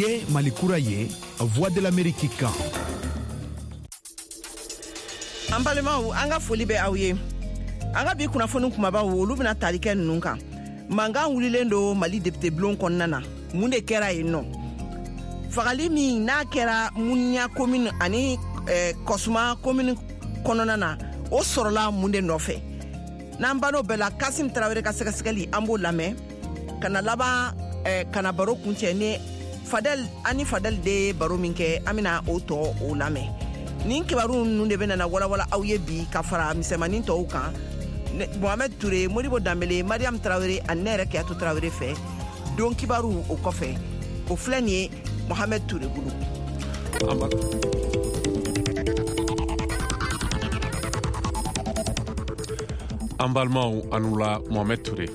Ye Mali kura ye, Voix de l'Amérique kan. An balimaw, an ka foli bɛ aw ye. An ka bi kunnafoni kumabaw, olu bɛna tali kɛ ninnu kan: mankan wulilen don Mali député bulon kɔnɔna na, mun de kɛra yen nɔ? Fagali min n'a kɛra Muniya commune ani Kɔsuma commune kɔnɔna na, o sɔrɔla mun de nɔfɛ? N'an ban'o bɛɛ la, Kasim Tarawele ka sɛgɛsɛgɛli, an b'o lamɛn ka na laban ka na baro kuncɛ ni Fadel. Ani Fadel de ye baro min kɛ, an bɛna o tɔ o lamɛn. Nin kibaru ninnu de bɛna na walawala aw ye bi ka fara misɛnmanin tɔw kan, Mohamed Ture, Modibo Danbele, Mariam Tarawele ani ne yɛrɛ Keyatu Tarawele fɛ. Don kibaru o kɔfɛ, o filɛ nin ye Mohamed Ture bolo. An balimaw, a ni wula. Mohamed Ture.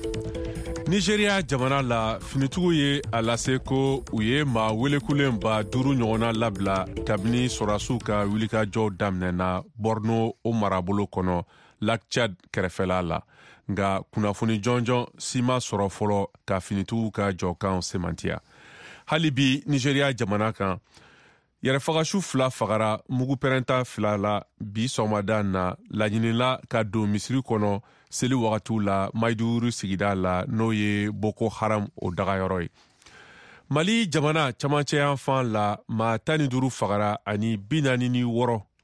Nigeria jamana la, finitigiw ye a lase ko u ye maa welekulen 5000 ɲɔgɔnna labila kabini sɔrɔdasiw ka wulikajɔw daminɛna Borno o marabolo kɔnɔ, Lac Tchad kɛrɛfɛla la. Nka kunnafoni jɔnjɔn si ma sɔrɔ fɔlɔ ka finitigiw ka jɔkanw semantiya. Hali bi Nigeria jamana kan, yɛrɛfagasu fila fagara mugu pɛrɛnta fila la bi sɔgɔmada na laɲinila ka don misiri kɔnɔ seli wagatiw la Maiduguri sigida la, n'o ye Boko Haram o dagayɔrɔ ye. Mali jamana camancɛ fan la, maa 15 fagara ani 46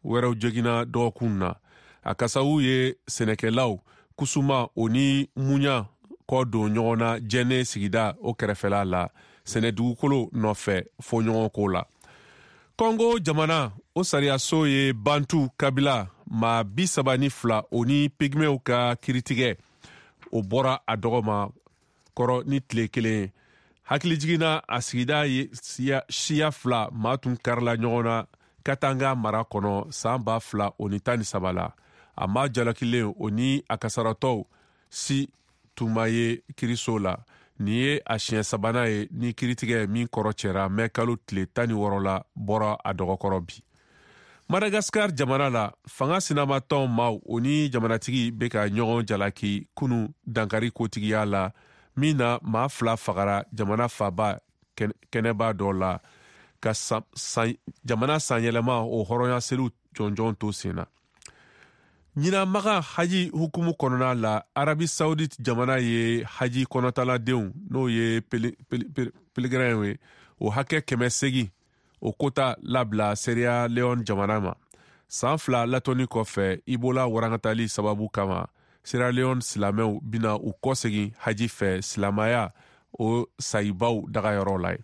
wɛrɛw joginna dɔgɔkun na. A kasawu ye sɛnɛkɛlaw Kusuma o ni Muɲa kɔ don ɲɔgɔn na Jɛnɛ sigida o kɛrɛfɛla la, sɛnɛdugukolo nɔfɛ fɔɲɔgɔnko la. Kɔngo jamana o sariyaso ye Bantu kabila maa 32 o ni pigmew ka kiritigɛ o bɔra a dɔgɔ ma kɔrɔ ni tile kelen ye. Hakili jiginna a sigida ye siya fila maa tun karila ɲɔgɔn na Katanga mara kɔnɔ san 2013 la. A maa jalakilen o ni a kasaratɔw si tun ma ye kiriso la. Nin ye a siɲɛ sabanan ye ni kiritigɛ min kɔrɔ cɛra mɛ kalo tile 16 la bɔra a dɔgɔkɔrɔ bi. Madagasikar jamana la, fanga sinamatɔn maaw o ni jamanatigi bɛ ka ɲɔgɔn jalaki kunu dankari kotigiya la min na maa fila fagara jamana faba kɛnɛba dɔ la ka jamana sanyɛlɛma o hɔrɔnya seliw jɔnjɔn to sen na. Ɲinamaga haji hukumu kɔnɔna la, Arabi Saudite jamana ye haji kɔnɔtaladenw, n'o ye pèlerin ye, o hakɛ 800 o kota labila Sierra Leone jamana ma, san 2 latɔnni kɔfɛ Ebola warankatali sababu kama. Sierra Leone silamɛw bina u kɔsegin haji fɛ silamaya o sayibaw dagayɔrɔ la ye.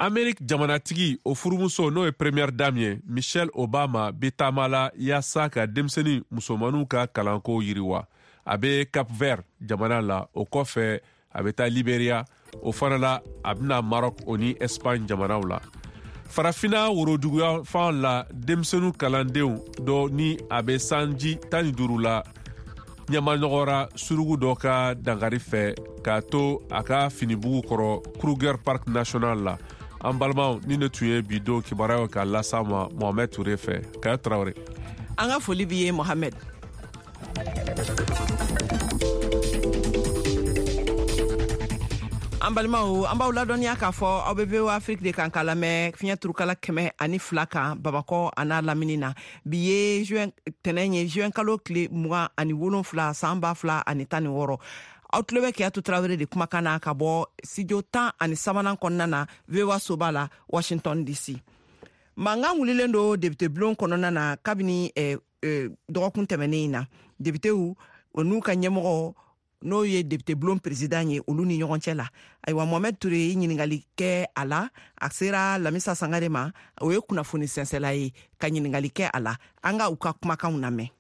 Amerik jamanatigi o furumuso, n'o ye première dame ye, Michelle Obama, bɛ taama la yaasa ka denmisɛnnin musomaninw ka kalanko yiriwa. A bɛ Cap Vert jamana la, o kɔfɛ a bɛ taa Liberia o fana la, a bɛna Maroc o ni Espagne jamanaw la. Farafina woroduguya fan la, denmisɛnninw kalandenw dɔ ni a bɛ sanji 15 la ɲamanɔgɔra surugu dɔ ka dankari fɛ k'a to a ka finibugu kɔrɔ Kruger Park National la. An balimaw, ni ne tun ye bi don kibaruyaw ka lasa ma Mohamɛd Ture fɛ. Kaya Tarawele. An ka foli b'i ye, Mohamɛd. An balimaw, an b'aw ladɔnniya k'a fɔ aw bɛ VOA Afrique de kan k'a lamɛn fiɲɛ turukala 102 kan Bamakɔ a n'a lamini na. Bi ye juin tɛnɛn ye, juin kalo tile 27 san 2016. Aw tulo bɛ Keyatu Tarawele de kumakan na ka bɔ studio 13nan kɔnɔna na, VOA soba la, Washington DC. Mankan wulilen don député bulon kɔnɔna na kabini dɔgɔkun tɛmɛnen in na, députéw o n'u ka ɲɛmɔgɔ, n'o ye député bulon président ye, olu ni ɲɔgɔn cɛ la. Ayiwa, Mohamɛd Ture ye ɲiningali kɛ a la. A sera Lamisa Sangare ma, o ye kunnafoni sɛnsɛla ye, ka ɲiningali kɛ a la. An ka u ka kumakanw lamɛn.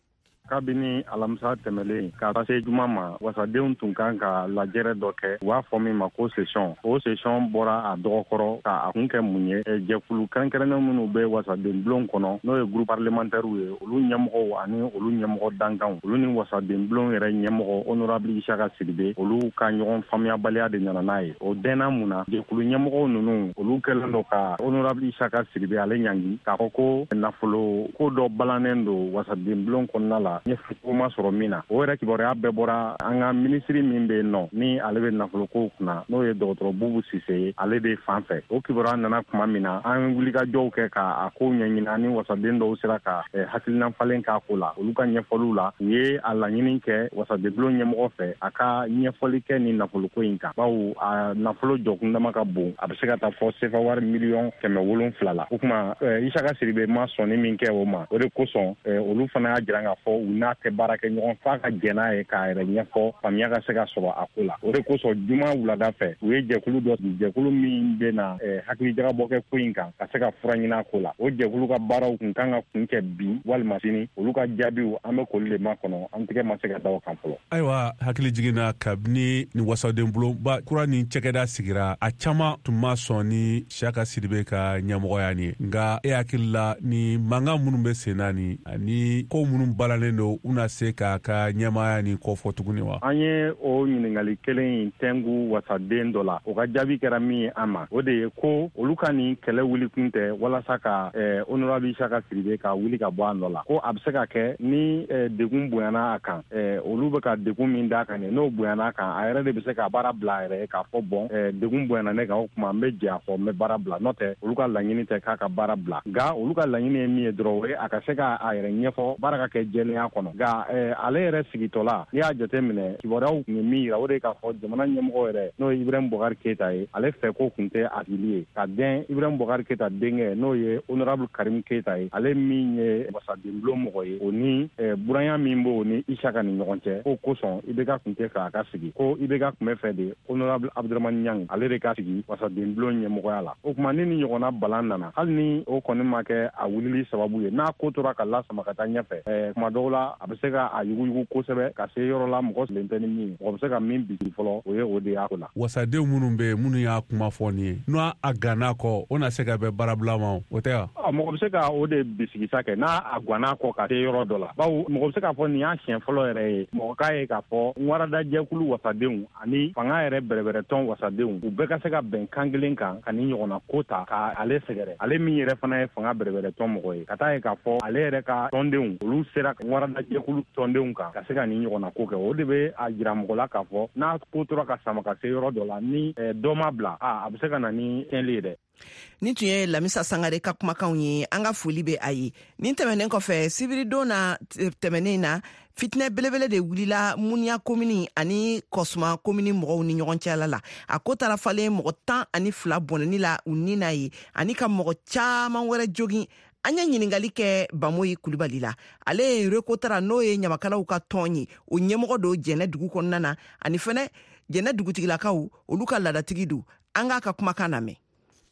Kabini alamisa tɛmɛlen ka se juma ma, wasadenw tun kan ka lajɛrɛ dɔ kɛ, u b'a fɔ min ma ko session. O session bɔra a dɔgɔkɔrɔ ka a kun kɛ mun ye? Jɛkulu kɛrɛnkɛrɛnnen minnu bɛ wasaden bulon kɔnɔ, n'o ye groupe parlementaire ye, olu ɲɛmɔgɔw ani olu ɲɛmɔgɔ dankanw, olu ni wasaden bulon yɛrɛ ɲɛmɔgɔ honorable Isaka Sidibe, olu ka ɲɔgɔn faamuyabaliya de nana n'a ye. O dɛnna mun na? Jɛkulu ɲɛmɔgɔw ninnu, olu kɛlen don ka honorable Isaka Sidibe ale ɲangi k'a fɔ ko nafolo ko dɔ balannen don wasaden bulon kɔnɔna la. la, ɲɛfɔcogo ma sɔrɔ min na. O yɛrɛ kibaruya bɛɛ bɔra an ka minisiri min bɛ yen nɔ, ni ale bɛ nafolokow kunna, n'o ye dɔgɔtɔrɔ Bubu Sise ye, ale de fan fɛ. O kibaruya nana tuma min na, an wulikajɔw kɛ k'a kow ɲɛɲini, ani wasaden dɔw sera ka hakilina falen k'a ko la. Olu ka ɲɛfɔliw la, u ye a laɲini kɛ wasadenbulon ɲɛmɔgɔ fɛ a ka ɲɛfɔli kɛ ni nafoloko in kan, bawo a nafolo jɔkundama ka bon, a bɛ se ka taa fɔ sefa wari 700 miliyɔn la. O tuma Isaka Sidibe ma sɔnni min kɛ o ma, o de kosɔn olu fana y'a jira k'a fɔ u n'a tɛ baara kɛ ɲɔgɔn f'a ka jɛn n'a ye k'a yɛrɛ ɲɛfɔ, faamuya ka se ka sɔrɔ a ko la. O de kosɔn juma wulada fɛ, u ye jɛkulu dɔ sigi, jɛkulu min bɛ na hakilijagabɔ kɛ ko in kan ka se ka fura ɲini a ko la. O jɛkulu ka baaraw kun kan ka kun kɛ bi walima sini. Olu ka jaabiw, an bɛ k'olu de makɔnɔ, an tigɛ ma se ka da o kan fɔlɔ. Ayiwa, hakili jiginna, kabini ni wasaden bulonba kura ni cɛkɛda sigira, a caman tun ma sɔn ni Siyaka Sidibe ka ɲɛmɔgɔya nin ye. Nka e hakili la, ni mankan minnu bɛ sen na ni ani ko minnu balalen don, u na se k'a ka ɲɛmaaya nin kɔfɔ tuguni wa? An ye o ɲininkali kelen in tɛngu wasaden dɔ la. O ka jaabi kɛra min ye an ma, o de ye ko olu ka nin kɛlɛ wuli kun tɛ walasa ka honorable Isaka Sidibe ka wuli ka bɔ a nɔ la, ko a bɛ se ka kɛ ni degun bonyana a kan, olu bɛ ka degun min d'a kan nin, n'o bonyana a kan, a yɛrɛ de bɛ se ka baara bila a yɛrɛ ye k'a fɔ: bɔn, degun bonyana ne kan, o tuma n bɛ jɛ a fɔ, n bɛ baara bila. N'o tɛ, olu ka laɲini tɛ k'a ka baara bila. Nka olu ka laɲini ye min ye dɔrɔn, o ye a ka se ka a yɛrɛ ɲɛfɔ, baara ka kɛ jɛlenya kɔnɔ. Nka ale yɛrɛ sigitɔla, n'i y'a jate minɛ, kibaruyaw tun ye min yira, o de ye k'a fɔ jamana ɲɛmɔgɔ yɛrɛ, n'o ye Ibrahim Boubacar Keita ye, ale fɛ ko tun tɛ a sigili ye ka dɛn Ibrahim Boubacar Keita denkɛ, n'o ye honorable Karim Keita ye, ale min ye wasadenbulon mɔgɔ ye, o ni buranya min b'o ni Isaka ni ɲɔgɔn cɛ, ko kosɔn IBK tun tɛ fɛ a ka sigi, ko IBK tun bɛ fɛ de honorable Abdramane Niang, ale de ka sigi wasadenbulon ɲɛmɔgɔya la. O tuma ni ni ɲɔgɔnna balan nana, hali ni o kɔni ma kɛ a wulili sababu ye, n'a ko tora ka lasama ka taa ɲɛfɛ, kuma dɔw la a bɛ se ka a yuguyugu kosɛbɛ ka se yɔrɔ la mɔgɔ sigilen tɛ ni min ye, mɔgɔ bɛ se ka min bisigi fɔlɔ, o ye o de y'a ko la. Wasadenw minnu bɛ yen, minnu y'a kuma fɔ nin ye, n'o a ganna kɔ, o na se ka bɛn baarabila ma, o tɛ wa? Mɔgɔ bɛ se ka o de bisigisa kɛ n'a a ganna kɔ ka se yɔrɔ dɔ la, bawo mɔgɔ bɛ se k'a fɔ nin y'a siɲɛ fɔlɔ yɛrɛ ye mɔgɔ k'a ye k'a fɔ waradajɛkulu wasadenw ani fanga yɛrɛ bɛrɛbɛrɛtɔn wasadenw, u bɛɛ ka se ka bɛn kan kelen kan ka nin ɲɔgɔnna ko ta ka ale sɛgɛrɛ, ale min yɛrɛ fana ye fanga bɛrɛbɛrɛtɔn mɔgɔ ye, ka taa ye k'a fɔ ale yɛrɛ ka tɔndenw, olu sera waradajɛkulu tɔndenw kan ka se ka nin ɲɔgɔnna ko kɛ. O de bɛ a jira mɔgɔ la k'a fɔ n'a ko tora ka sama ka se yɔrɔ dɔ la, ni dɔ ma bila, a bɛ se ka na ni tiɲɛli ye dɛ. Nin tun ye Lamisa Sangare ka kumakanw ye. An ka foli bɛ a ye. Nin tɛmɛnen kɔfɛ, sibiridon na tɛmɛnen na, fitinɛ belebele de wulila Muniya komini ani Kɔsuma komini mɔgɔw ni ɲɔgɔn cɛla la. A ko taara falen mɔgɔ 12 bɔnɛni la u ni na ye, ani ka mɔgɔ caaman wɛrɛ jogin. An ye ɲiningali kɛ Bamoyi Kulibali la. Ale ye Rekotara, n'o ye ɲamakalaw ka tɔn ye, o ɲɛmɔgɔ don Jɛnɛ dugu kɔnɔna na, ani fɛnɛ Jɛnɛ dugutigilakaw, olu ka ladatigi don. An k'a ka kumakan lamɛn.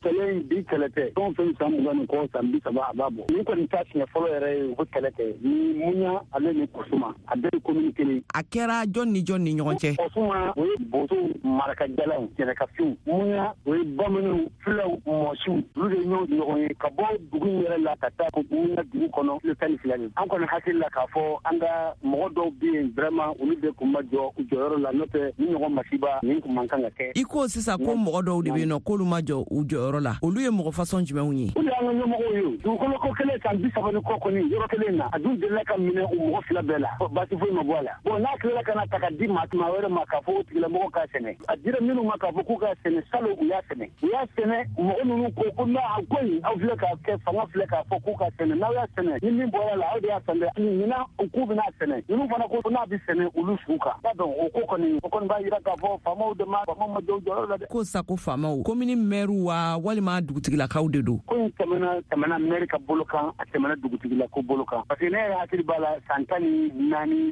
Kɛlɛ in bi, kɛlɛ tɛ. Fɛn o fɛn, san 20 ni kɔ, san 30, a b'a bɔ. Nin kɔni ta siɲɛ fɔlɔ yɛrɛ ye u bɛ kɛlɛ kɛ ni Muɲa ale ni Kɔsuma, a bɛɛ ye komini kelen. A kɛra jɔn ni jɔn ni ɲɔgɔn cɛ? Kɔsuma, o ye bosow, marakajalaw, jɛnɛkafinw. Muɲa, o ye bamananw, fulaw, mɔsiw, olu de ɲɔgɔn ɲɔgɔn ye ka bɔ dugu in yɛrɛ la ka taa Muɲa dugu kɔnɔ, kilo 12 de. An kɔni hakili la k'a fɔ an ka mɔgɔ dɔw bɛ yen, vraiment, olu de kun ma jɔ u jɔyɔrɔ la, n'o tɛ ni ɲɔgɔn masiba nin kun man kan ka kɛ. I ko sisan ko mɔgɔ dɔw de bɛ yen nɔ k'olu ma jɔ u jɔyɔrɔ la. Olu ye mɔgɔ fasɔn jumɛnw ye? Olu y'an ka ɲɛmɔgɔw ye. Dugukolo ko kelen, san 30 ni kɔ kɔni, yɔrɔ kelen na, a dun delila ka minɛ u mɔgɔ fila bɛɛ la, baasi foyi ma bɔ a la. Bon, n'a tilala ka na ta ka di maa wɛrɛ ma k'a fɔ o tigilamɔgɔ k'a sɛnɛ, a dira minnu ma k'a fɔ k'u k'a sɛnɛ salon, u y'a sɛnɛ, u y'a sɛnɛ. Mɔgɔ ninnu ko ko n'a a ko in, aw filɛ k'a kɛ, fanga filɛ k'a fɔ k'u ka sɛnɛ, n'aw y'a sɛnɛ, ni min bɔra la, aw de y'a san dɛ. Ɲinan k'u bɛna sɛnɛ, ninnu fana ko n'a bɛ sɛnɛ olu su kan. B'a dɔn, o ko kɔni, o kɔni b'a jira k'a fɔ faamaw de ma, faamaw ma jɔ u jɔyɔrɔ la dɛ. Ko sa ko faamaw, komini mɛriw wa, walima dugutigilakaw de don? Ko in tɛmɛna mɛri ka bolo kan, a tɛmɛna dugutigilako bolo kan, parce que ne yɛrɛ hakili b'a la, san 14,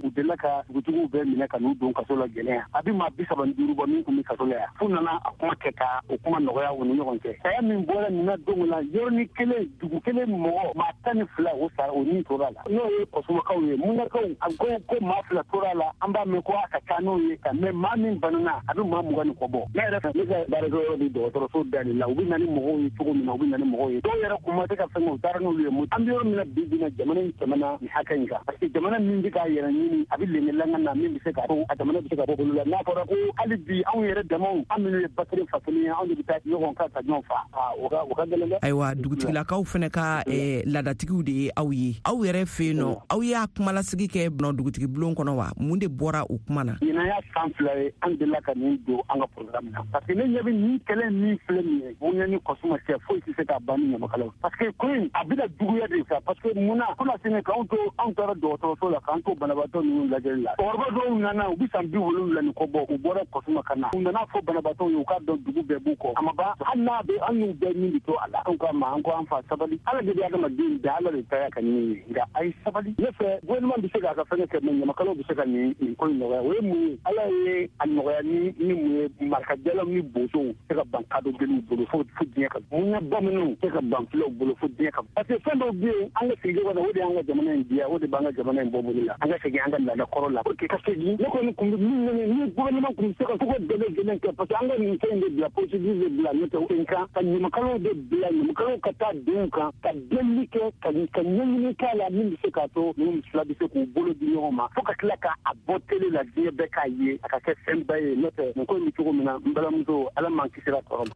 u delila ka dugutigiw bɛɛ minɛ ka n'u don kaso la Jɛnɛ yan. A bɛ maa 35 bɔ min tun bɛ kaso la yan, f'u nana a kuma kɛ ka o kuma nɔgɔya u ni ɲɔgɔn cɛ. Saya min bɔra nin na don la, yɔrɔnin kelen, dugu kelen, mɔgɔ maa 12, o sara, o ni tora la, n'o ye Kɔsumakaw ye. Munnakaw, a ko ko maa fila tora la, an b'a mɛn ko a ka ca n'o ye, mɛ maa min banana, a bɛ maa 20 ni kɔ bɔ. Ne yɛrɛ fɛ, ne ka baarakɛyɔrɔ bɛ dɔgɔtɔrɔso da de la, u bɛ na ni mɔgɔw ye cogo min na, u bɛ na ni mɔgɔw ye. Dɔw yɛrɛ kun ma se ka fɛn kɛ, u taara n'olu ye. An bɛ yɔrɔ min na bi bi in na, jamana in tɛmɛna nin hakɛ in kan, parce que jamana min bɛ k'a yɛrɛ ɲini, a bɛ lengelanga na min bɛ se ka to a jamana bɛ se ka bɔ bolo la. N'a fɔra ko hali bi anw yɛrɛ damaw, an minnu ye ba kelen fa kelen ye, anw de bɛ taa ɲɔgɔn kan ka ɲɔgɔn fa, o ka gɛlɛn dɛ. Ayiwa, dugutigilakaw fana ka laadatigiw de ye aw ye. Aw yɛrɛ fɛ yen nɔ, aw y'a kumalasigi kɛ dugutigi bulon kɔnɔ wa? Mun de bɔra o kuma na? Ɲinan y'a san 2 ye an delila ka nin don an ka programme na, parce que ne ɲɛ bɛ nin kɛlɛ min filɛ nin ye, bonya ni kɔsuma cɛ, foyi tɛ se k'a ban ni ɲamakalaw, parce que ko in a bɛna juguya de sa. Parce que mun na kunasini k'anw to, anw taara dɔgɔtɔrɔso la k'an to banabaatɔ ninnu lajɛli la, cɛkɔrɔba dɔw nana, u bɛ san 70 ni kɔ bɔ, u bɔra kɔsuma ka na, u nana fɔ banabaatɔw ye u k'a dɔn dugu bɛɛ b'u kɔ. A ma ban, hali n'a bɛ an y'u bɛɛ min bɛ to a la. Anw k'a ma, an ko an fa sabali, Ala de bɛ adamaden da, Ala de ta y'a ka ɲini ye, nka a ye sabali. Ne fɛ gouvernement bɛ se k'a ka fɛngɛ kɛ, mais ɲamakalaw bɛ se ka nin ko in nɔgɔya. O ye mun ye? Ala ye a nɔgɔya ni mun ye? Marikajalaw ni bosow tɛ ka ban kadɔ jeliw bolo fo diɲɛ ka mun ye, bamananw tɛ ka ban fulaw bolo fo diɲɛ ka, parce que fɛn dɔw bɛ yen an ka segin kɔnɔ, o de y'an ka jamana in diya, o de b'an ka jamana in bɔ bolo la. An ka segin an ka laada kɔrɔ la pour que ka segin. Ne kɔni kun bɛ min ɲini, ni gouvernement kun bɛ se ka ko bɛɛ lajɛlen kɛ, parce que an ka nin fɛn in de bila, procédure de bila, n'o tɛ sen kan ka ɲamakalaw de bila, ɲamakalaw ka taa denw kan ka delili kɛ, ka ɲɛɲini k'a la min bɛ se k'a to ninnu fila bɛ se k'u bolo di ɲɔgɔn ma, fo ka tila k'a bɔ télé la, diɲɛ bɛɛ k'a ye, a ka kɛ fɛnba ye. N'o tɛ nin ko in bɛ cogo min na, n balimamuso, Ala m'an kisira tɔɔrɔ ma.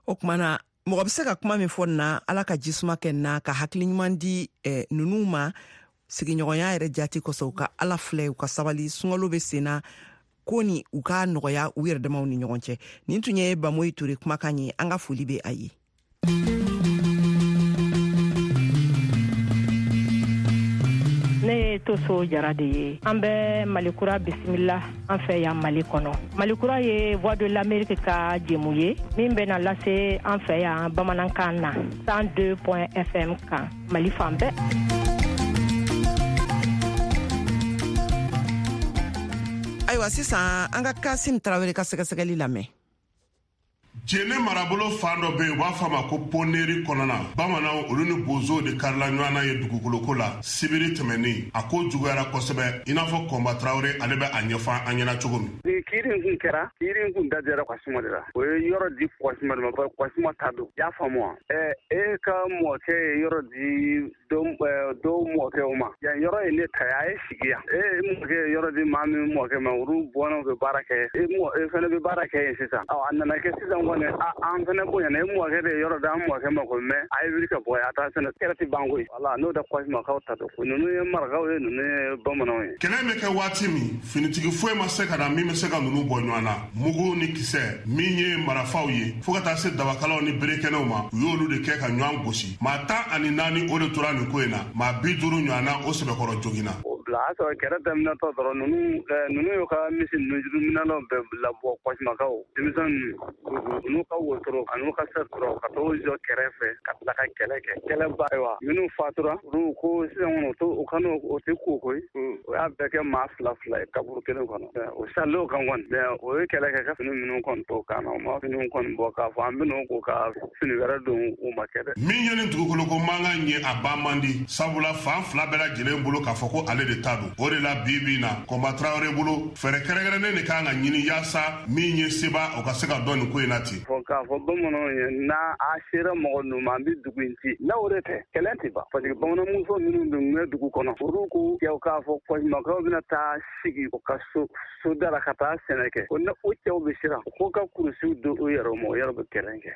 O tuma na, mɔgɔ bɛ se ka kuma min fɔ nin na, Ala ka jisuma kɛ nin na, ka hakili ɲuman di ninnu ma, sigiɲɔgɔnya yɛrɛ jati kosɔn, u ka Ala filɛ, u ka sabali, sunkalo bɛ sen na, ko ni u ka nɔgɔya u yɛrɛ damaw ni ɲɔgɔn cɛ. Nin tun ye Bamoyi Ture kumakan ye, an ka foli bɛ a ye. Ne ye Toso Jara de ye. An bɛ Malikura bisimila an fɛ yan Mali kɔnɔ. Malikura ye Voix de l'Amérique ka jɛmu ye min bɛna lase an fɛ yan bamanankan na 102 FM kan Mali fan bɛɛ. Ayiwa, sisan an ka Kasim Tarawele ka sɛgɛsɛgɛli lamɛn. Jene marabolo fan dɔ bɛ yen, u b'a fɔ a ma ko Poneri kɔnɔna. Bamananw olu ni bozow de karila ɲɔgɔn na ye dugukoloko la sibiri tɛmɛnen. A ko juguyara kosɛbɛ, i n'a fɔ Kɔnba Tarawele ale bɛ a ɲɛfɔ an ɲɛna cogo min. Ni kiiri in kun kɛra, kiiri in kun dajara Kwasima de la. O ye yɔrɔ di Kwasima de ma, bari Kwasima ta don. I y'a faamu wa? E ka mɔkɛ ye yɔrɔ di dɔw mɔkɛw ma. Yan yɔrɔ ye ne ta ye, a ye sigi yan. E mɔkɛ ye yɔrɔ di maa min mɔkɛ ma, olu bɔnnaw bɛ baara kɛ. E fana bɛ baara kɛ yen sisan. Ɔ, a nana kɛ sisan kɔni, an fana bonyana. E mɔkɛ de ye yɔrɔ d'an mɔkɛ ma ko mɛ a ye wuli ka bɔ yan, a t'a sɛnɛ. Kɛlɛ tɛ ban koyi. Wala, n'o tɛ Kwasimakaw ta don. Ko ninnu ye marakaw ye, ninnu ye bamananw ye. Kɛlɛ bɛ kɛ waati min, finitigi foyi ma se ka na min bɛ se ka ninnu bɔ ɲɔgɔn na. Mugu ni kisɛ min ye marafaw ye, fo ka taa se dabakalaw ni berekɛnɛw ma, u y'olu de kɛ ka ɲɔgɔn gosi. Maa 14 o de tora nin ko in na, maa 50 ɲɔgɔn na o sɛbɛkɔrɔ joginna. O bila a sɔrɔ kɛlɛ daminɛtɔ dɔrɔn, ninnu y'u ka misi ninnu juruminɛnw bɛɛ labɔ Kwasimakaw, denmisɛn ninnu, u n'u ka wotoro ani ka sɛ dɔrɔn ka t'o jɔ kɛrɛfɛ ka tila ka kɛlɛ kɛ. Kɛlɛ ba, ayiwa, minnu fatura, olu ko sisan kɔni o ka n'o o tɛ ko koyi. O y'a bɛɛ kɛ maa fila fila ye kaburu kelen kɔnɔ. O sal'o kan kɔni, mais o ye kɛlɛ kɛ ka fini minnu kɔni to kan na, o ma finiw kɔni bɔ k'a fɔ an bɛn'o ko ka fini wɛrɛ don, o ma kɛ dɛ. Min ye nin dugukoloko mankan ye, a ban man di, sabula fan fila bɛɛ lajɛlen bolo k'a fɔ ko ale de ta don. O de la bi bi in na, Kɔnba Tarawele bolo, fɛɛrɛ kɛrɛnkɛrɛnnen de kan ka ɲini yaasa min ye seba o ka se ka dɔn nin ko in na ten. Fɔ k'a fɔ bamananw ye, n'a a sera mɔgɔ ninnu ma, an bɛ dugu in ci. N'a o de tɛ, kɛlɛ tɛ ban, parce que bamananmuso minnu dun bɛ dugu kɔnɔ, olu ko cɛw k'a fɔ Kwasimakaw bɛna taa sigi u ka so da la ka taa sɛnɛ kɛ. O o cɛw bɛ siran ko ka kurusiw don u yɛrɛ ma, o yɛrɛ bɛ kɛlɛ kɛ.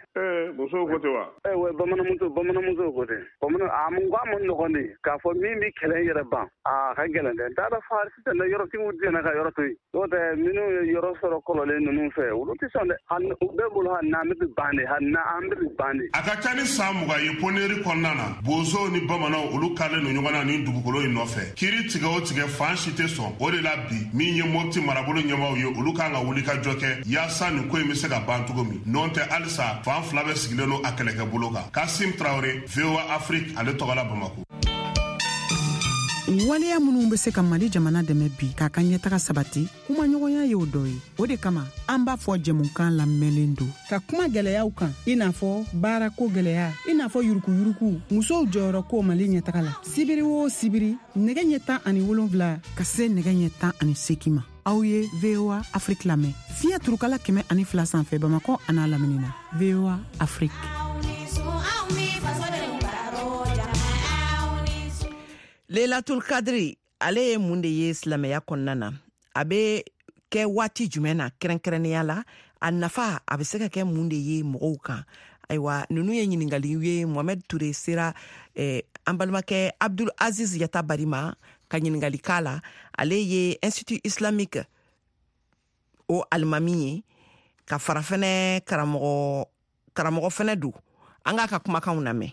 Musow ko ten wa? Wa bamananmuso ko ten. Bamanan a mun ko a ma nɔgɔn de k'a fɔ min bɛ kɛlɛ yɛrɛ ban, a ka gɛlɛn dɛ. N t'a dɔn fa sisan yɔrɔtigiw diɲɛna ka yɔrɔ to yen. N'o tɛ minnu ye yɔrɔ sɔrɔ kɔrɔlen ninnu fɛ, olu tɛ sɔn dɛ. U bɛɛ bolo hali n'an bɛ ban de, hali n'an bɛ ban de. A ka ca ni san 20 ye Poneri kɔnɔna na, bozow ni bamananw olu karilen don ɲɔgɔn na nin dugukolo in nɔfɛ. Kiiri tigɛ o tigɛ, fan si tɛ sɔn. O de la bi min ye Mopti marabolo ɲɛmaaw ye, olu kan ka wuli ka jɔ kɛ yaasa nin ko in bɛ se ka ban cogo min. N'o tɛ halisa fan fila bɛ sigilen don a kɛlɛkɛ bolo kan. Kasim Tarawele, VOA Afrique, ale tɔgɔ la Bamako. Waleya minnu bɛ se ka Mali jamana dɛmɛ bi k'a ka ɲɛtaga sabati, kumaɲɔgɔnya y'o dɔ ye. O de kama an b'a fɔ jɛmukan lamɛnlen don ka kuma gɛlɛyaw kan, i n'a fɔ baarako gɛlɛya, i n'a fɔ yurukuyuruku, musow jɔyɔrɔ ko Mali ɲɛtaga la. Sibiri o sibiri, nɛgɛ ɲɛ 17 ka se nɛgɛ ɲɛ 18 ma. Aw ye VOA Afrique lamɛn. Fiɲɛ turukala 102 sanfɛ Bamakɔ an'a lamini na. VOA Afrique. Lelatul Kadri, ale ye mun de ye silamɛya kɔnɔna na? A bɛ kɛ waati jumɛn na kɛrɛnkɛrɛnnenya la? A nafa a bɛ se ka kɛ mun de ye mɔgɔw kan? Ayiwa, ninnu ye ɲininkali ye Mohamed Toure sera an balimakɛ Abdul Aziz Yatabari ma ka ɲininkali k'a la. Ale ye Institut Islamique o alimami ye, ka fara fɛnɛ karamɔgɔ fɛnɛ don. An k'a ka kumakanw lamɛn.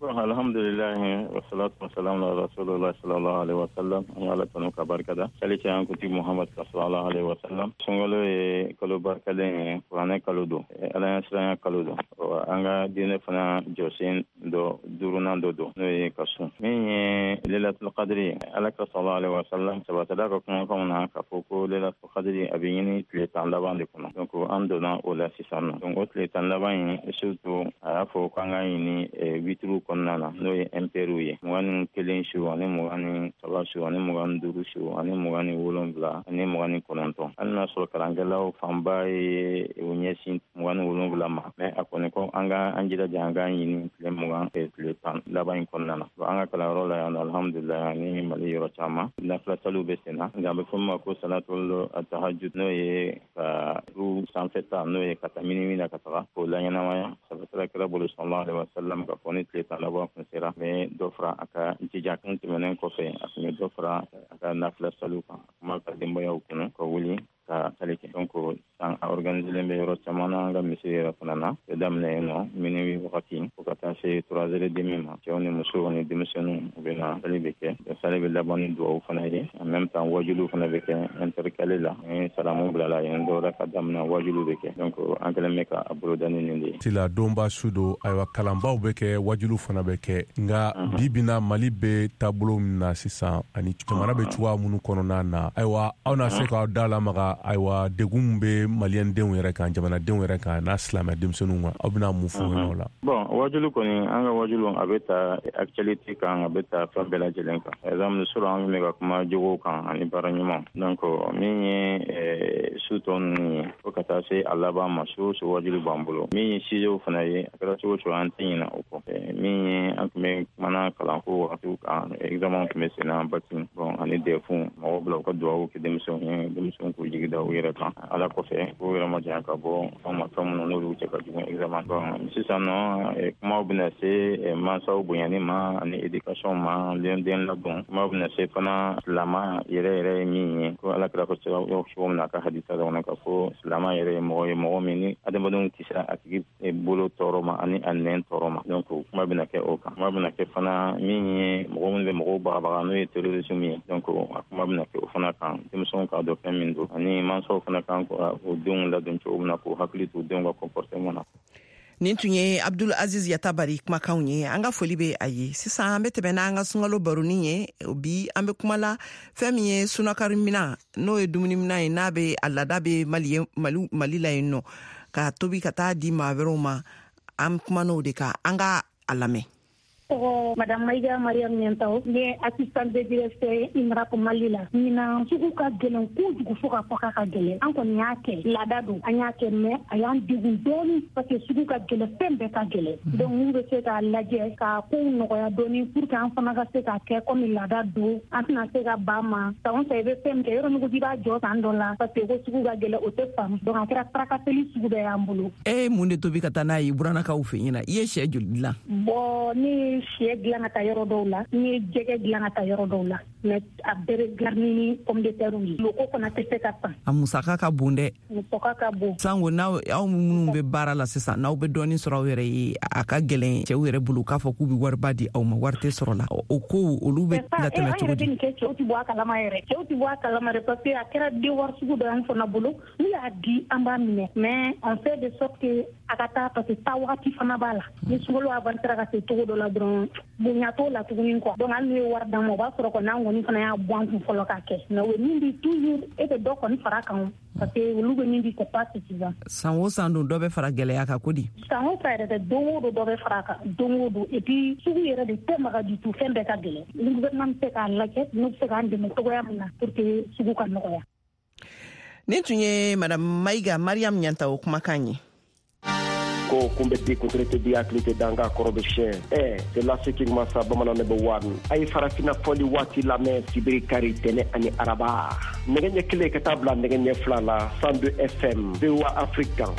Alhamdulillah, wa salatu wa salam ala rasulullah sallallahu alaihi wa sallam. An ala tanu ka barika da sali cɛ an kuntigi Muhammad sallallahu alaihi wa sallam. Sunkalo ye kalo barikalen ye, kuranɛ kalo don, ala ɲɛ siranya kalo don, an ka diinɛ fana jɔsen dɔ duurunan dɔ don, n'o ye ka sun. Min ye Lailatul Qadri ye, ala ka sallallahu alaihi wa sallam sabatila ka kumakanw na k'a fɔ ko Lailatul Qadri a bɛ ɲini tile 10 laban de kɔnɔ. Donc an donna o la sisan nɔ. Donc o tile 10 laban in, surtout a y'a fɔ k'an ka ɲini witiriw kɔnɔna na, n'o ye impairs ye, 21 su ani 23 su ani 25 su ani 27 ani 29. Hali n'a sɔrɔ kalankɛlaw fanba ye u ɲɛsin 27 ma, mais a kɔni ko an ka an jilaja an k'a ɲini tile 20 tile 10 laban in kɔnɔna na. An ka kalanyɔrɔ la yan, alhamdulilayi, ani Mali yɔrɔ caman nafila saliw bɛ sen na, nka a bɛ fɔ min ma ko salatul tahajjud, n'o ye ka ru sanfɛ ta, n'o ye ka taa minuit na ka taga k'o laɲɛnamaya. Sabatila kira bolo sallallahu alaihi wa sallam ka fɔ ni tile 10 laban kun sera, a bɛ dɔ fara a ka jija kun tɛmɛnen kɔfɛ, a tun bɛ dɔ fara a ka nafila saliw kan, a kuma ka denbayaw kɔnɔ ka wuli ka sali kɛ. Donc san a organiselen bɛ yɔrɔ caman na, an ka misiri yɛrɛ fana na, bɛ daminɛ yen nɔ minuit wagati fo ka taa se 3h30 ma. Cɛw ni musow ni denmisɛnninw u bɛ na, sali bɛ kɛ, sali bɛ laban ni duwawu fana ye. En même temps wajuliw fana bɛ kɛ intercalé la, ni salamu bilala yen, dɔwɛrɛ ka daminɛ, wajuliw bɛ kɛ. Donc an kɛlen bɛ ka a boloda ni nin de ye. Tila donba su don, ayiwa, kalanbaw bɛ kɛ, wajuliw fana bɛ kɛ, nka bi bi na Mali bɛ taabolo min na sisan ani jamana bɛ cogoya minnu kɔnɔna na, ayiwa, aw na se k'aw da lamaga, ayiwa, degun min bɛ maliyɛndenw yɛrɛ kan, jamanadenw yɛrɛ kan, n'a silamɛ denmisɛnninw kan, aw bɛna mun fɔ o la? Bon, wajulu kɔni, an ka wajulu a bɛ ta actualité kan, a bɛ ta fɛn bɛɛ lajɛlen kan. Par exemple, surɔ an bɛ ka kuma jogow kan ani baara ɲuman. Donc min ye su tɔ ninnu ye, fo ka taa se a laban ma, su o su wajulu b'an bolo. Min ye sujetw fana ye, a kɛra cogo o cogo an tɛ ɲinɛ o kɔ. Min ye an tun bɛ kumana kalanko wagatiw kan, examen tun bɛ sen na, bac, bon, ani DEF, mɔgɔw bila u ka duwawu kɛ denmisɛnw ye, denmisɛnw k'u jigi da u yɛrɛ kan. Ala kɔfɛ, k'u yɛrɛ ma janya ka bɔ fɛn ma, fɛn minnu n'olu cɛ ka jugu examen. Bon, sisan nɔ kumaw bɛna se mansaw bonyani ma ani éducation ma, den ladon. Kumaw bɛna se fana silama yɛrɛ yɛrɛ ye min ye, ko ala kira ko cogo min na a ka hadisa dɔ kɔnɔ, k'a fɔ silama yɛrɛ ye mɔgɔ ye, mɔgɔ min ni adamadenw kisira a tigi bolo tɔɔrɔ ma ani a nɛn tɔɔrɔ ma. Donc kuma bɛna kɛ o kan. Kuma bɛna kɛ fana min ye mɔgɔ minnu bɛ mɔgɔw bagabaga, n'o ye terrorisme ye. Donc a kuma bɛna kɛ o fana kan, denmisɛnw k'a dɔn fɛn min don, ani mansaw fana kan k'u denw ladon cogo min na, k'u hakili to denw ka comportement na. Nin tun ye Abdul Aziz Yatabari kumakanw ye. An ka foli bɛ a ye. Sisan an bɛ tɛmɛ n'an ka sunkalo baronin ye. Bi an bɛ kuma la fɛn min ye sunakari minan, n'o ye dumuni minan ye, n'a bɛ a laada bɛ Mali la yen nɔ, ka tobi ka taa di maa wɛrɛw ma. An kumana o de kan, an ka a lamɛn. Tɔgɔ Madame Maïga Mariam Niantaw, ne ye assistante de directeur ye INRAP Mali la. Ɲinan sugu ka gɛlɛn kojugu, fo ka fɔ k'a ka gɛlɛn. An kɔni y'a kɛ, laada don, an y'a kɛ, mais a y'an degun dɔɔni parce que sugu ka gɛlɛn, fɛn bɛɛ ka gɛlɛn. Donc n'u bɛ se k'a lajɛ ka kow nɔgɔya dɔɔni pour que an fana ka se k'a kɛ comme laada don, an tɛna se ka ban ma. San o san i bɛ fɛn min kɛ, yɔrɔ min ko k'i b'a jɔ san dɔ la parce que ko sugu ka gɛlɛn, o tɛ faamu. Donc a kɛra tracasserie sugu bɛɛ y'an bolo. E ye mun de tobi ka taa n'a ye buranakaw fɛ yen na? I ye sɛ joli dilan? Bon, ne ye sɛ dilan ka taa yɔrɔ dɔw la, n ye jɛgɛ dilan ka taa yɔrɔ dɔw la, mais a bɛɛ bɛ garni ni pomme de terre ye. Loko fana tɛ se ka san. A musaka ka bon dɛ. Musaka ka bon. Sango n'aw aw minnu bɛ baara la sisan, n'aw bɛ dɔɔnin sɔrɔ aw yɛrɛ ye, a ka gɛlɛn cɛw yɛrɛ bolo k'a fɔ k'u bɛ wariba di aw ma, wari tɛ sɔrɔ la. O kow olu bɛ latɛmɛ cogo di? An yɛrɛ bɛ nin kɛ, cɛw tɛ bɔ a kalama yɛrɛ. Cɛw tɛ bɔ a kalama yɛrɛ parce que a kɛra devoir sugu dɔ y'an fana bolo. N'u y'a di, an b'a minɛ, mais on fait de sorte que a ka taa, parce que taa wagati fana b'a la. Ni sunkalo avancera ka se cogo dɔ la dɔrɔn, bonya t'o la tuguni quoi. Donc hali n'u ye wari d'an ma, o b'a sɔrɔ kɔni an kɔni fana y'a bɔ an kun fɔlɔ k'a kɛ. Mais o ye min di, toujours e bɛ dɔ kɔni fara kan, parce que olu bɛ min di, c'est pas suffisant. San o san don dɔ bɛ fara gɛlɛya kan ko di? San o san yɛrɛ tɛ, don o don dɔ bɛ fara a kan, don o don. Et puis sugu yɛrɛ de tɛ maga du tout, fɛn bɛɛ ka gɛlɛn. Ni gouvernement bɛ se k'a lajɛ, n'u bɛ se k'an dɛmɛ cogoya min na pour que sugu ka nɔgɔya. Nin tun ye Madame Mayiga Mariam Ɲantawo kumakan ye. Ko kun bɛ di kuntiri tɛ di hakili tɛ danga kɔrɔ bɛ siɲɛ ɛ c'est laseki masa bamanan ne bɛ wari a ye farafinna fɔli waati lamɛn sibiri kari tɛnɛ ani araba nɛgɛ ɲɛ kelen ka taa bila nɛgɛ ɲɛ fila la 102 FM VOA Afrique kan.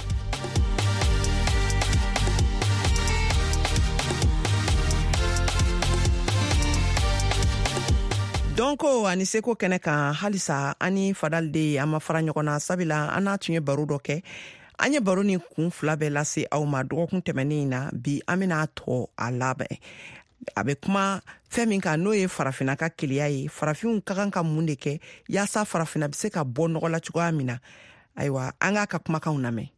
Dɔnko ani seko kɛnɛ kan halisa an ni Fadal de an ma fara ɲɔgɔn na, sabula an n'a tun ye baro dɔ kɛ. An ye baro ni kun fila bɛɛ lase aw ma dɔgɔkun tɛmɛnen in na. Bi an bɛna tɔ a labɛn, a bɛ kuma fɛn min kan, n'o ye farafinna ka keleya ye. Farafinw ka kan ka mun de kɛ yaasa farafinna bɛ se ka bɔ nɔgɔ la cogoya min na? Ayiwa, an k'a ka kumakanw lamɛn.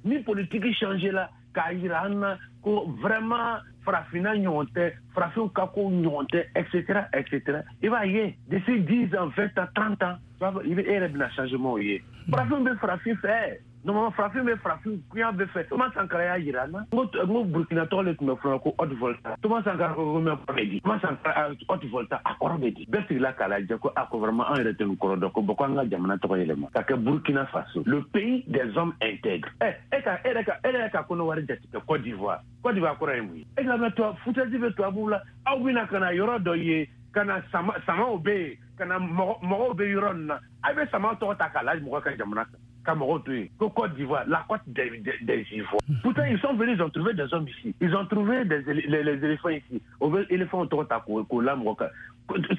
Ni politiki changé la k'a yira an na ko vraiment farafinna ɲɔgɔn tɛ, farafinw ka kow ɲɔgɔn tɛ, etc etc, i b'a ye d'ici 10 ans, 20 ans, 30 ans, i bɛ e yɛrɛ bɛna changement ye. Farafin bɛ farafin fɛ. Normalement, farafin bɛ farafin kuya bɛ fɛ. Thomas Sankara y'a yira an na. N ko Burkina tɔgɔ de tun bɛ fɔlɔ ko Haute Volta. Thomas Sankara ko mɛ kɔrɔ bɛ di. Thomas Sankara Haute Volta a kɔrɔ bɛ di. Bɛɛ sigila k'a lajɛ ko a ko vraiment an yɛrɛ tɛ nin kɔrɔ dɔn, ko bon ko an ka jamana tɔgɔ yɛlɛma ka kɛ Burkina Faso, le pays des hommes intègres. Ɛ e ka e yɛrɛ ka e yɛrɛ ka Kɔnɔwari jate kɛ Côte d'Ivoire. Côte d'Ivoire kɔrɔ ye mun ye? E ka mɛn tubabu foutaise bɛ tubabuw la. Aw bɛna ka na yɔrɔ dɔ ye, ka na sama samaw bɛ yen, ka na mɔgɔw bɛ yɔrɔ nin na. A bɛ sama tɔgɔ ta k'a la mɔgɔ ka jamana kan, ka mɔgɔw to yen ko Côte d'Ivoire, la côte des Ivoires. Pourtant, ils sont venus, ils ont trouvé des hommes ici, ils ont trouvé les éléphants ici. O bɛ éléphants tɔgɔ ta k'o la mɔgɔ kan.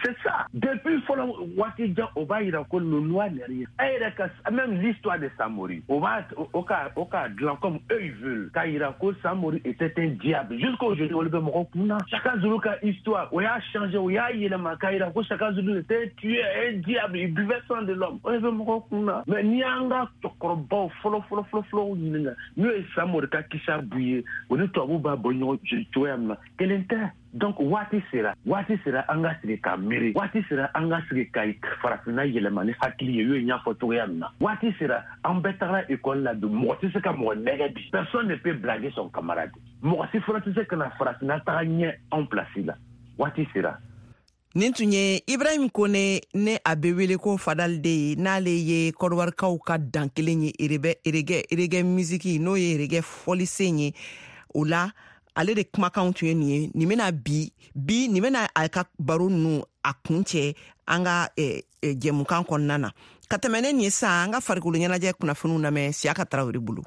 C'est ça, depuis fɔlɔ waati jan, o b'a yira ko le noir n'est rien. E yɛrɛ ka même l'histoire de Samori, o b'a o ka dilan comme eux ils veulent, k'a yira ko Samori était un diable. Jusqu'à aujourd'hui, olu bɛ mɔgɔw kun na. Chaka Zulu ka histoire, o y'a changé, o y'a yɛlɛma k'a yira ko Chaka Zulu était un tueur, un diable, il buvait sang de l'homme. O de bɛ mɔgɔw kun na. Mais n'i y'an ka cɛkɔrɔbaw fɔlɔ fɔlɔ fɔlɔ fɔlɔw ɲininka, n'o ye Samori ka kisa b'u ye, o ni tubabuw b'a bɔ ɲɔgɔn cogoya min na, kelen tɛ. Donc waati sera, waati sera an ka sigi ka miiri. Waati sera an ka sigi ka farafinna yɛlɛma ni hakili ye, y'o ye n y'a fɔ cogoya min na. Waati sera an bɛɛ tagara école la bi, mɔgɔ tɛ se ka mɔgɔ nɛgɛ bi. Personne ne peut blaguer son camarade. Mɔgɔ si fana tɛ se ka na farafinna taga ɲɛ anw place la. Waati sera. Nin tun ye Ibrahim Kone, ne a bɛ wele ko Fadal de ye, n'ale ye kɔdiwarikaw ka dan kelen ye reggae musique, n'o ye reggae fɔlisen ye. O la ale de kumakanw tun ye nin ye. Nin bɛna bi bi nin bɛna a ka baro ninnu a kun cɛ an ka jɛmukan kɔnɔna na. Ka tɛmɛ ne nin ye sisan, an ka farikolo ɲɛnajɛ kunnafoniw lamɛn Siyaka Tarawele bolo.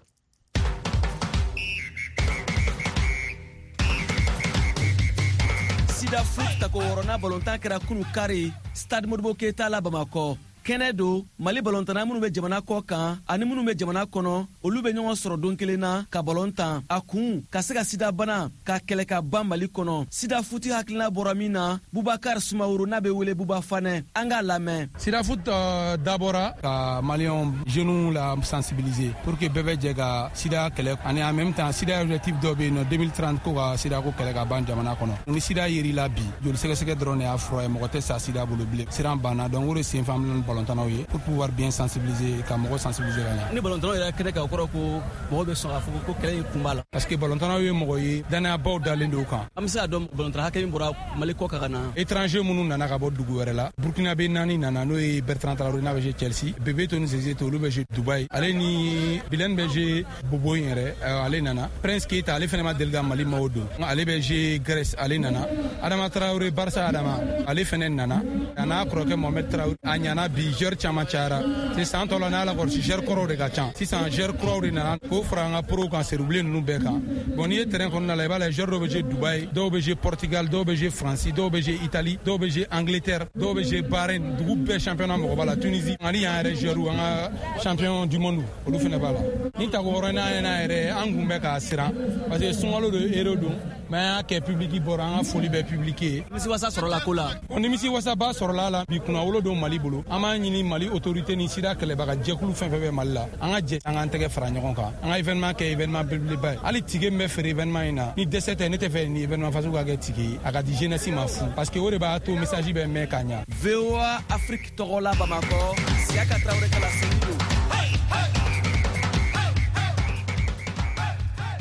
Sida foot tako wɔɔrɔnan balontan kɛra kunu kari Stade Modibo Keita la Bamakɔ. Kɛnɛ don Mali balontanna minnu bɛ jamana kɔ kan ani minnu bɛ jamana kɔnɔ, olu bɛ ɲɔgɔn sɔrɔ don kelen na ka balon tan. A kun ka se ka sida bana ka kɛlɛ ka ban Mali kɔnɔ. Sida futi hakilina bɔra min na, Bubakar Sumaworo, n'a bɛ wele Buba Fanɛ, an k'a lamɛn. Sida foot dabɔra ka maliyɛnw jeunes la sensibiliser pour que bɛɛ bɛ jɛ ka sida kɛlɛ, ani en même temps sida objectif dɔ bɛ yen nɔ, 2030, ko ka sida ko kɛlɛ ka ban jamana kɔnɔ. Ni sida yer'i la bi, joli sɛgɛsɛgɛ dɔrɔn de y'a fura ye, mɔgɔ tɛ sa sida bolo bilen, siran banna. Donc o de sen fɛ an bɛna balontannaw ye pour pouvoir bien sensibiliser, ka mɔgɔ sensibiliser ka ɲɛ. Ni balontannaw yɛrɛ kɛnɛ kan, o kɔrɔ ko mɔgɔw bɛ sɔn k'a fɔ ko kɛlɛ in kun b'a la. Parce que balontannaw ye mɔgɔ ye, dannayabaw dalen don kan. An bɛ se k'a dɔn balontanna hakɛ min bɔra Mali kɔ kan ka na? Étranger minnu nana ka bɔ dugu wɛrɛ la, Burkina bɛ naani nana, n'o ye Bertrand Traoré, n'a bɛ jouer Chelsea, Bebeto ni Zezeto, olu bɛ jouer Dubaï, ale ni Bilen bɛ jouer Bobo in yɛrɛ, ale nana. Prince Keita, ale fɛnɛ ma deli ka Mali maillot don, ale bɛ jouer Grèce, ale nana. Adama Traoré, Barça Adama, ale fɛnɛ nana, a n'a kɔrɔkɛ Mohamed Traoré. A ɲana bi, joueur caman cayara. C'est san tɔ la, n'a la kɔlɔsi, joueur kɔrɔw de ka ca. Sisan joueur kuraw de nana k'o fara an ka pro kan, serubilen ninnu bɛɛ kan. Bon, n'i ye terrain kɔnɔna la, i b'a lajɛ, joueur dɔw bɛ jouer Dubaï, dɔw bɛ jouer Portugal, dɔw bɛ jouer France, dɔw bɛ jouer Italie, dɔw bɛ jouer Angleterre, dɔw bɛ jouer Bahreïn, dugu bɛɛ championnat mɔgɔ b'a la, Tunisie ani yan yɛrɛ joueur, an ka champion du monde, olu fɛnɛ b'a la. Ni tako wɔɔrɔnan n'a yɛrɛ, an kun bɛ k'a siran parce que sunkalo don, héros don, mais an y'a kɛ, public bɔra, an ka foli bɛ public ye. Nimisiwasa sɔrɔla ko la? Bon, nimisiwasaba sɔrɔla la bi. Kunnawolo don Mali bolo. An b'a ɲini Mali autorité ni sida kɛlɛbaga jɛkulu fɛn fɛn bɛ Mali la, an ka jɛ, an k'an tɛgɛ fara ɲɔgɔn kan, an ka événement kɛ événement belebeleba ye. Hali ticket min bɛ feere événement in na, ni dɛsɛ tɛ, ne tɛ fɛ ni événement fasugu ka kɛ ticket ye, a ka di jeunesse ma fu, parce que o de b'a to message bɛ mɛn ka ɲa. VOA Afrique tɔgɔ la Bamakɔ, Siyaka Tarawele ka laseli don.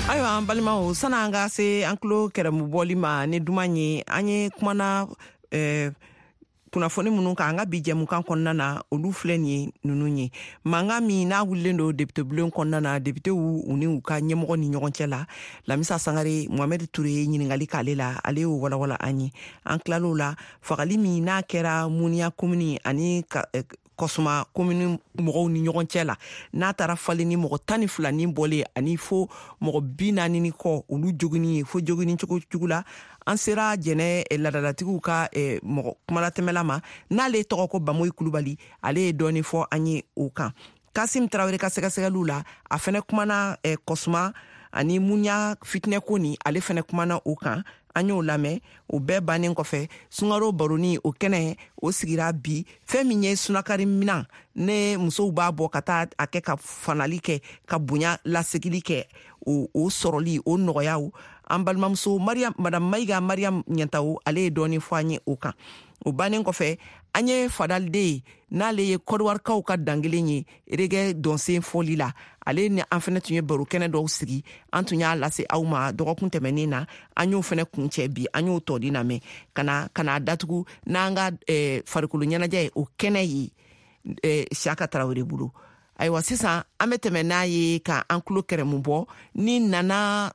Ayiwa, an balimaw, san'an an ka se an tulo kɛrɛmu bɔli ma ni duman ye, an ye kumana Kunnafoni minnu kan an ka bi jɛmukan kɔnɔna na, olu filɛ nin ye ninnu ye: mankan min n'a wulilen don depite bulon kɔnɔna na, depitew u ni u ka ɲɛmɔgɔ ni ɲɔgɔn cɛ la. Lamisa Sangare, Mohamɛd Ture ye ɲiningali k'ale la, ale y'o walawala an ye. An tilal'o la, fagali min n'a kɛra Muniya komini ani Kɔsuma komini mɔgɔw ni ɲɔgɔn cɛ la, n'a taara falen ni mɔgɔ 12 ni bɔlen ani fo mɔgɔ 40 ni kɔ, olu jogini ye fo jogini cogo jugu la. An sera Jɛnɛ ladalatigiw ka mɔgɔ kumalatɛmɛla ma, n'ale tɔgɔ ko Bamoyi Kulubali, ale ye dɔɔni fɔ an ye o kan. Kasim Tarawele ka sɛgɛsɛgɛliw la, a fɛnɛ kumana Kɔsuma ani Munya fitinɛko ni, ale fɛnɛ kumana o kan, an y'o lamɛn. O bɛɛ bannen kɔfɛ, sunkaro baroni, o kɛnɛ o sigira bi. Fɛn min ye sunakari minan ne musow b'a bɔ ka taa a kɛ ka fanali kɛ, ka bonya lasegili kɛ, o sɔrɔli o nɔgɔyaw, an balimamuso Mariam, Madame Mayiga Mariam Ɲɛntawo, ale ye dɔɔni fɔ an ye o kan. O bannen kɔfɛ, an ye Fadaliden ye, n'ale ye Kɔdiwarikaw ka dankelen ye reggae dɔnsen fɔli la, ale ni an fɛnɛ tun ye baro kɛnɛ dɔw sigi, an tun y'a lase aw ma dɔgɔkun tɛmɛnen na. An y'o fɛnɛ kuncɛ bi, an y'o tɔdi lamɛn ka na datugu n'an ka farikolo ɲɛnajɛ ye, o kɛnɛ ye Siyaka Tarawele bolo. Ayiwa, sisan an bɛ tɛmɛ n'a ye ka an tulo kɛrɛmu bɔ ni Nana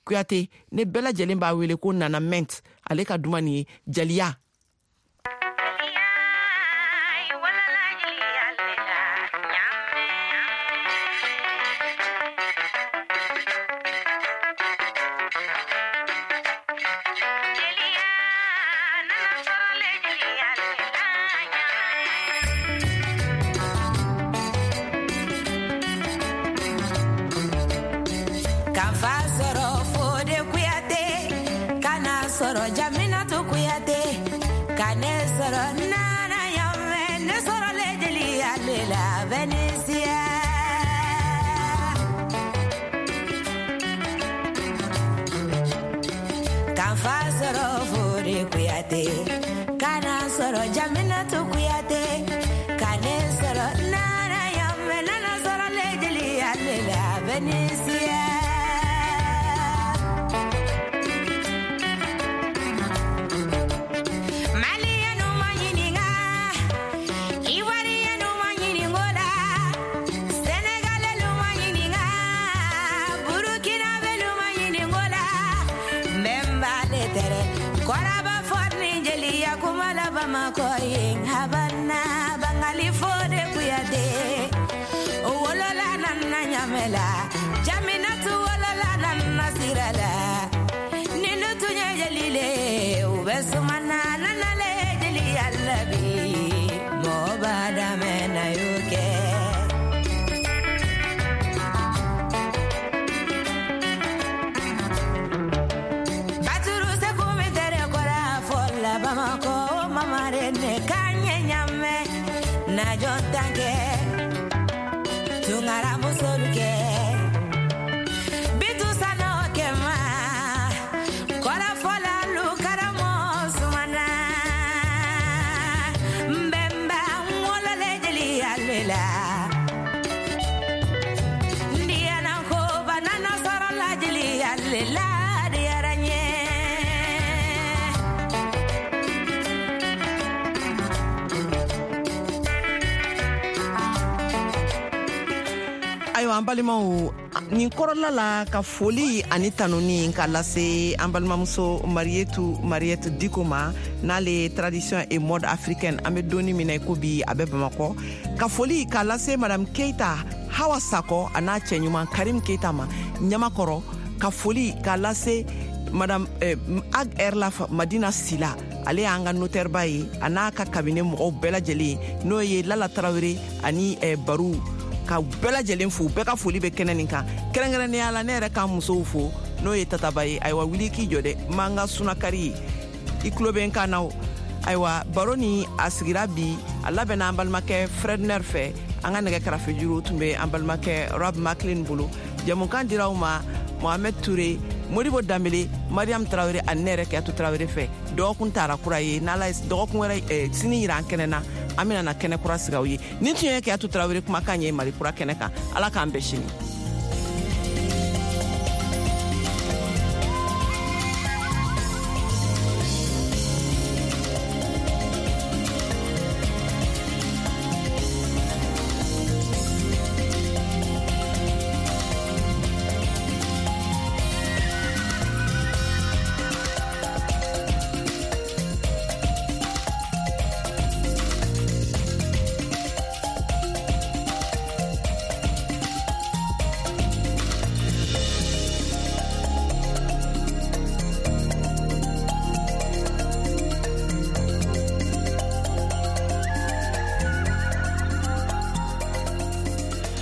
Kuyate, ne bɛɛ lajɛlen b'a wele ko Nana Ment, ale ka duman nin ye jaliya. Ayiwa, an balimaw, nin kɔrɔla la, ka foli ani tanuni ka lase an balimamuso Marietu Mariette Diko ma, n'ale ye tradition et mode africaine, an bɛ donni min na i ko bi, a bɛ Bamakɔ. Ka foli ka lase Madame Keita Hawa Sakɔ a n'a cɛ ɲuman Karim Keita ma Ɲamakɔrɔ. Ka foli ka lase Madame Ag Erlaf Madina Sila, ale y'an ka notaire ba ye, a n'a ka cabinet mɔgɔw bɛɛ lajɛlen, n'o ye Lala Tarawele ani Baru, ka bɛɛ lajɛlen fo. Bɛɛ ka foli bɛ kɛnɛ nin kan. Kɛrɛnkɛrɛnnenya la, ne yɛrɛ ka musow fo, n'o ye Tataba ye. Ayiwa, wuli k'i jɔ dɛ, n b'an ka sunakari ye, i tulo bɛ n kan na o. Ayiwa, baro ni a sigira bi, a labɛnna an balimakɛ Fredner fɛ, an ka nɛgɛ karafejuru tun bɛ an balimakɛ Rob Maclean bolo. Jɛmukan dira aw ma Mohamed Touré, Modibo Danbele, Mariam Tarawele ani ne yɛrɛ Kiyatu Tarawele fɛ. Dɔgɔkun taara kura ye, n'Ala ye dɔgɔkun wɛrɛ sini yira an kɛnɛ na, an bɛna na kɛnɛ kura sigi aw ye. Nin tun ye Kiyatu Tarawele kumakan ye Mali Kura kɛnɛ kan. Ala k'an bɛn sini.